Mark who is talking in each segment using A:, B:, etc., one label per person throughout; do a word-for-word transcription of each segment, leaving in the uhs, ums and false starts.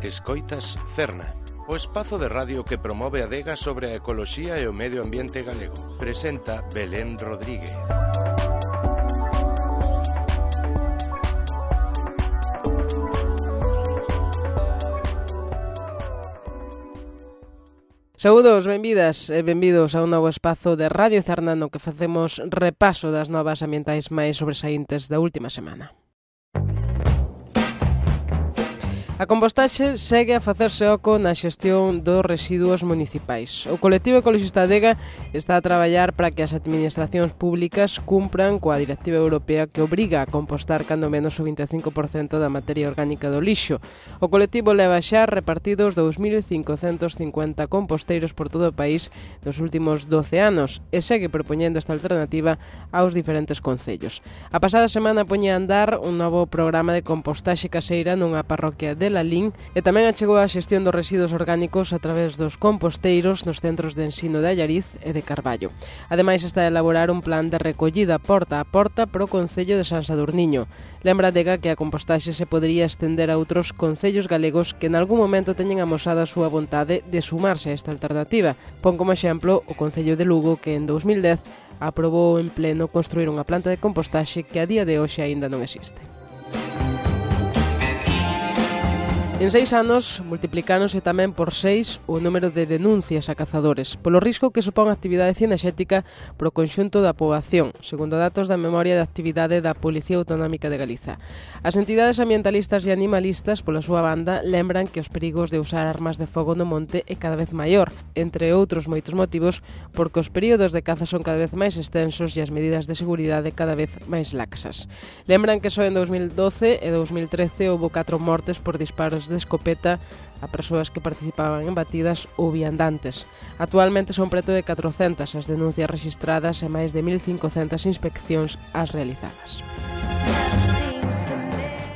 A: Escoitas Cerna, o espazo de radio que promove a adega sobre a ecoloxía e o medio ambiente galego. Presenta Belén Rodríguez.
B: Saúdos, benvidas e benvidos a un novo espazo de Radio Cerna no que facemos repaso das novas ambientais máis sobresaíntes da última semana. A compostaxe segue a facerse oco na xestión dos residuos municipais. O colectivo ecologista Adega está a traballar para que as administracións públicas cumpran coa Directiva Europea que obriga a compostar cando menos o vinte e cinco por cento da materia orgánica do lixo. O colectivo leva xa repartidos dous mil cincocentos cincuenta composteiros por todo o país nos últimos doce anos e segue propoñendo esta alternativa aos diferentes concellos. A pasada semana poñía a andar un novo programa de compostaxe caseira nunha parroquia de Lalín e tamén achegou a xestión dos residuos orgánicos a través dos composteiros nos centros de ensino de Allariz e de Carballo. Ademais, está a elaborar un plan de recollida porta a porta para o concello de San Sadurniño. Lembra Adega que a compostaxe se podería estender a outros concellos galegos que en algún momento teñen amosado a súa vontade de sumarse a esta alternativa. Pon como exemplo o concello de Lugo que en dous mil dez aprobou en pleno construir unha planta de compostaxe que a día de hoxe aínda non existe. En seis anos, multiplicáronse tamén por seis o número de denuncias a cazadores polo risco que supón a actividade cinexética pro conxunto da poboación, segundo datos da memoria de actividade da Policía Autonómica de Galiza. As entidades ambientalistas e animalistas, pola súa banda, lembran que os perigos de usar armas de fogo no monte é cada vez maior, entre outros moitos motivos, porque os períodos de caza son cada vez máis extensos e as medidas de seguridade cada vez máis laxas. Lembran que só en dous mil doce e dous mil trece houbo catro mortes por disparos de escopeta a persoas que participaban en batidas ou viandantes. Actualmente son preto de catrocentas as denuncias rexistradas e máis de mil cincocentas inspeccións as realizadas.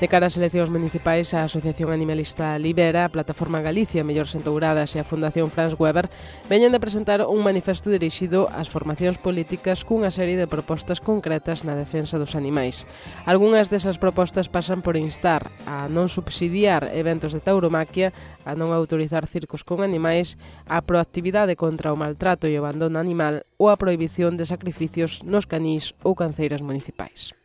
B: De cara ás eleccións municipais, a Asociación Animalista Libera, a Plataforma Galicia Mellores Entouradas e a Fundación Franz Weber veñen de presentar un manifesto dirixido ás formacións políticas cunha serie de propostas concretas na defensa dos animais. Algúnas desas propostas pasan por instar a non subsidiar eventos de tauromaquia, a non autorizar circos con animais, a proactividade contra o maltrato e o abandono animal ou a prohibición de sacrificios nos canís ou canceiras municipais.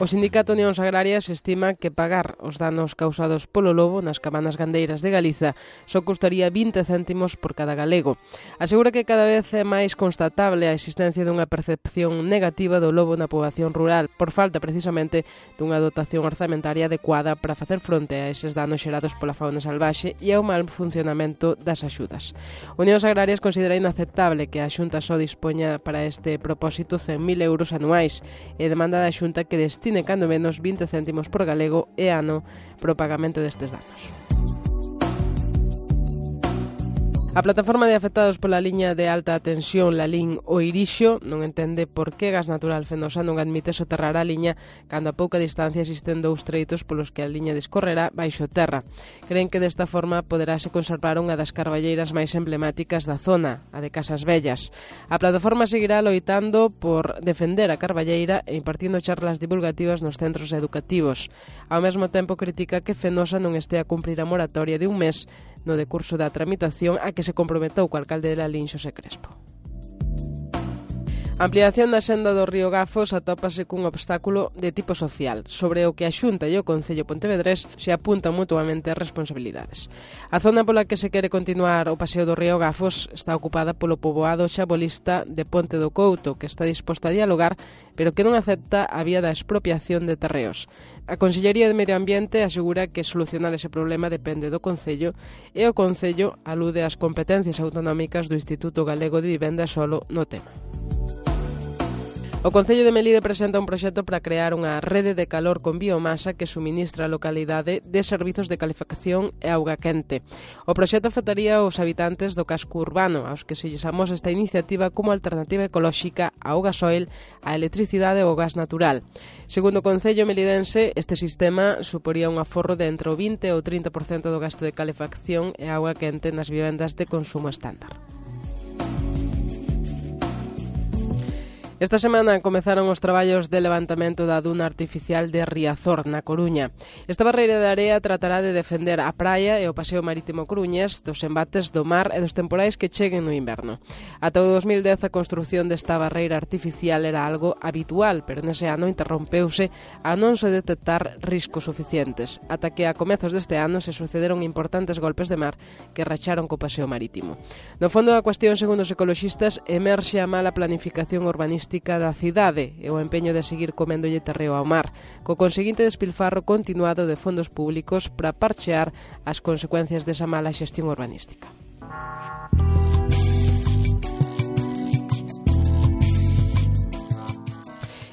B: O Sindicato Unións Agrarias estima que pagar os danos causados polo lobo nas cabanas gandeiras de Galiza só custaría vinte céntimos por cada galego. Asegura que cada vez é máis constatable a existencia dunha percepción negativa do lobo na poboación rural por falta precisamente dunha dotación orzamentaria adecuada para facer fronte a eses danos xerados pola fauna salvaxe e ao mal funcionamento das axudas. Unións Agrarias considera inaceptable que a Xunta só dispoña para este propósito cen mil euros anuais e demanda da Xunta que destine cando menos vinte céntimos por galego e ano para o pagamento destes danos. A plataforma de afectados pola liña de alta tensión Lalín o Irixo non entende por que Gas Natural Fenosa non admite soterrar a liña cando a pouca distancia existen dous treitos polos que a liña discorrerá baixo terra. Creen que desta forma poderase conservar unha das carballeiras máis emblemáticas da zona, a de Casas Vellas. A plataforma seguirá loitando por defender a carballeira e impartindo charlas divulgativas nos centros educativos. Ao mesmo tempo critica que Fenosa non este a cumprir a moratoria de un mes no decurso da tramitación a que se comprometou co alcalde de Lalín, Xosé Crespo. A ampliación da senda do río Gafos atópase cun obstáculo de tipo social, sobre o que a Xunta e o Concello Pontevedrés se apuntan mutuamente as responsabilidades. A zona pola que se quere continuar o paseo do río Gafos está ocupada polo poboado xabolista de Ponte do Couto, que está disposto a dialogar, pero que non acepta a vía da expropiación de terreos. A Consellería de Medio Ambiente asegura que solucionar ese problema depende do Concello e o Concello alude ás competencias autonómicas do Instituto Galego de Vivenda e Solo no tema. O Concello de Melide presenta un proxecto para crear unha rede de calor con biomasa que suministra a localidade de servizos de calefacción e auga quente. O proxecto afectaría aos habitantes do casco urbano, aos que se lles amosa esta iniciativa como alternativa ecolóxica ao gasoil, á electricidade ou gas natural. Segundo o Concello melidense, este sistema suporía un aforro de entre o vinte e o trinta por cento do gasto de calefacción e auga quente nas vivendas de consumo estándar. Esta semana comezaron os traballos de levantamento da duna artificial de Riazor, na Coruña. Esta barreira de area tratará de defender a praia e o paseo marítimo coruñés dos embates do mar e dos temporais que cheguen no inverno. Ata o dos mil dez a construción desta barreira artificial era algo habitual, pero nese ano interrompeuse a non se detectar riscos suficientes, ata que a comezos deste ano se sucederon importantes golpes de mar que racharon co paseo marítimo. No fondo da cuestión, segundo os ecoloxistas, emerxe a mala planificación urbanística da cidade e o empeño de seguir coméndolle terreo ao mar, co conseguinte despilfarro continuado de fondos públicos para parchear as consecuencias desa mala xestión urbanística.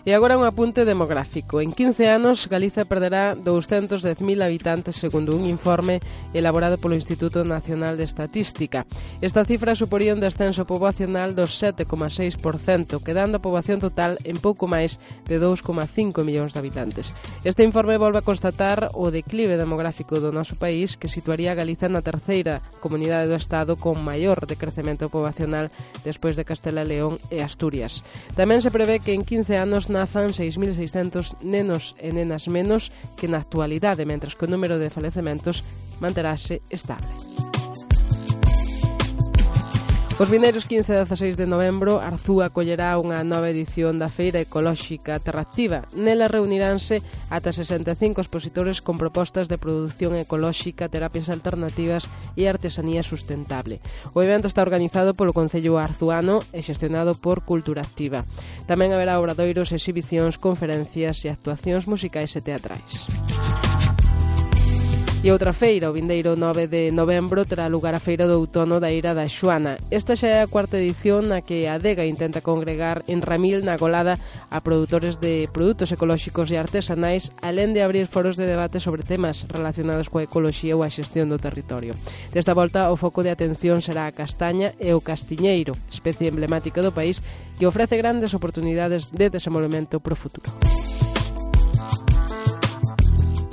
B: E agora un apunte demográfico. En quince anos, Galiza perderá douscentos dez mil habitantes, segundo un informe elaborado polo Instituto Nacional de Estatística. Esta cifra suporía un descenso poboacional dos sete coma seis por cento, quedando a poboación total en pouco máis de dous coma cinco millóns de habitantes. Este informe volve a constatar o declive demográfico do noso país, que situaría a Galiza na terceira comunidade do Estado con maior decrecemento poboacional despois de Castela e León e Asturias. Tamén se prevé que en quince anos nazan seis mil seiscentos nenos e nenas menos que na actualidade, mentres que o número de falecementos manterase estable. Os vindeiros quince e dezaseis de novembro, Arzúa acollerá unha nova edición da Feira Ecolóxica Terraactiva. Nela reuniránse ata sesenta e cinco expositores con propostas de produción ecolóxica, terapias alternativas e artesanía sustentable. O evento está organizado polo Concello Arzuano e xestionado por Cultura Activa. Tamén haberá obradoiros, exhibicións, conferencias e actuacións musicais e teatrais. E outra feira, o vindeiro nove de novembro, terá lugar a Feira do Outono da Eira da Xoana. Esta xa é a cuarta edición na que a Adega intenta congregar en Ramil, na Golada, a produtores de produtos ecolóxicos e artesanais, alén de abrir foros de debate sobre temas relacionados coa ecoloxía ou a xestión do territorio. Desta volta, o foco de atención será a castaña e o castiñeiro, especie emblemática do país que ofrece grandes oportunidades de desenvolvemento pro futuro.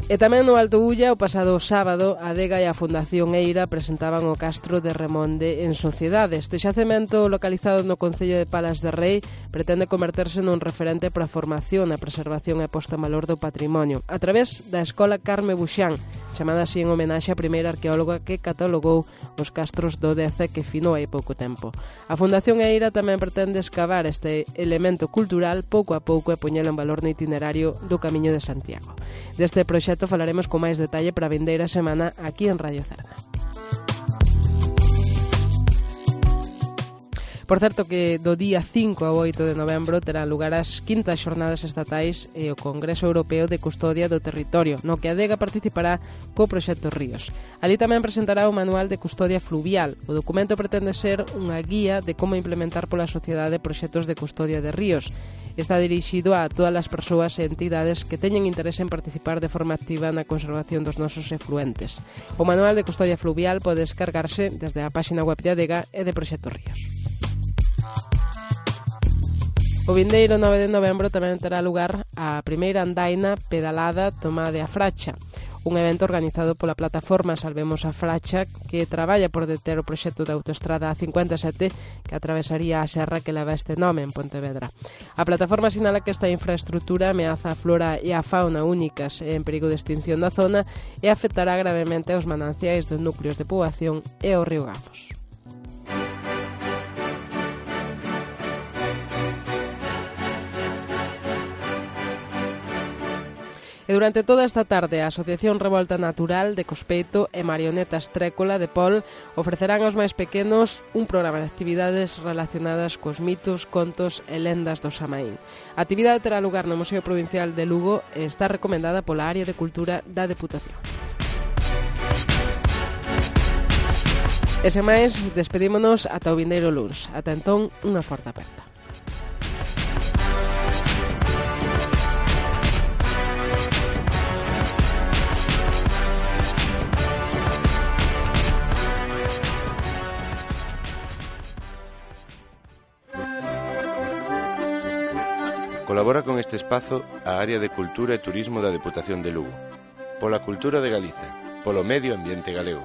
B: E tamén no Alto Ulla, o pasado sábado, a Adega e a Fundación Eira presentaban o Castro de Remonde en sociedade. Este xacemento, localizado no Concello de Palas de Rei, pretende converterse nun referente para a formación, a preservación e a posta en valor do patrimonio, a través da Escola Carme Buxán, chamada así en homenaxe á primeira arqueóloga que catalogou os castros do Deza que finou hai pouco tempo. A Fundación Eira tamén pretende escavar este elemento cultural pouco a pouco e poñelo en valor no itinerario do Camiño de Santiago. Deste proxecto falaremos con máis detalle para a vindeira semana aquí en Radio Cerna. Por certo que do día cinco ao oito de novembro terán lugar as quintas xornadas estatais e o Congreso Europeo de Custodia do Territorio, no que a Adega participará co proxecto Ríos. Ali tamén presentará o Manual de Custodia Fluvial. O documento pretende ser unha guía de como implementar pola sociedade proxectos de custodia de ríos. Está dirixido a todas as persoas e entidades que teñen interese en participar de forma activa na conservación dos nosos efluentes. O Manual de Custodia Fluvial pode descargarse desde a páxina web de Adega e de Proxecto Ríos. O vindeiro nove de novembro tamén terá lugar a primeira andaina pedalada Tomá de a Fracha, un evento organizado pola plataforma Salvemos a Fracha, que traballa por deter o proxecto da autoestrada A cincuenta e sete que atravesaría a serra que leva este nome en Pontevedra. A plataforma sinala que esta infraestrutura ameaza a flora e a fauna únicas e en perigo de extinción da zona e afectará gravemente aos mananciais dos núcleos de poboación e ao río Gafos. E durante toda esta tarde, a Asociación Revolta Natural de Cospeito e Marionetas Trécola de Pol ofrecerán aos máis pequenos un programa de actividades relacionadas cos mitos, contos e lendas do Samaín. A actividade terá lugar no Museo Provincial de Lugo e está recomendada pola Área de Cultura da Deputación. E sen máis, despedímonos ata o vindeiro luns. Ata entón, unha forte aperta.
A: Colabora con este espazo a Área de Cultura e Turismo da Deputación de Lugo. Pola cultura de Galiza, polo medio ambiente galego.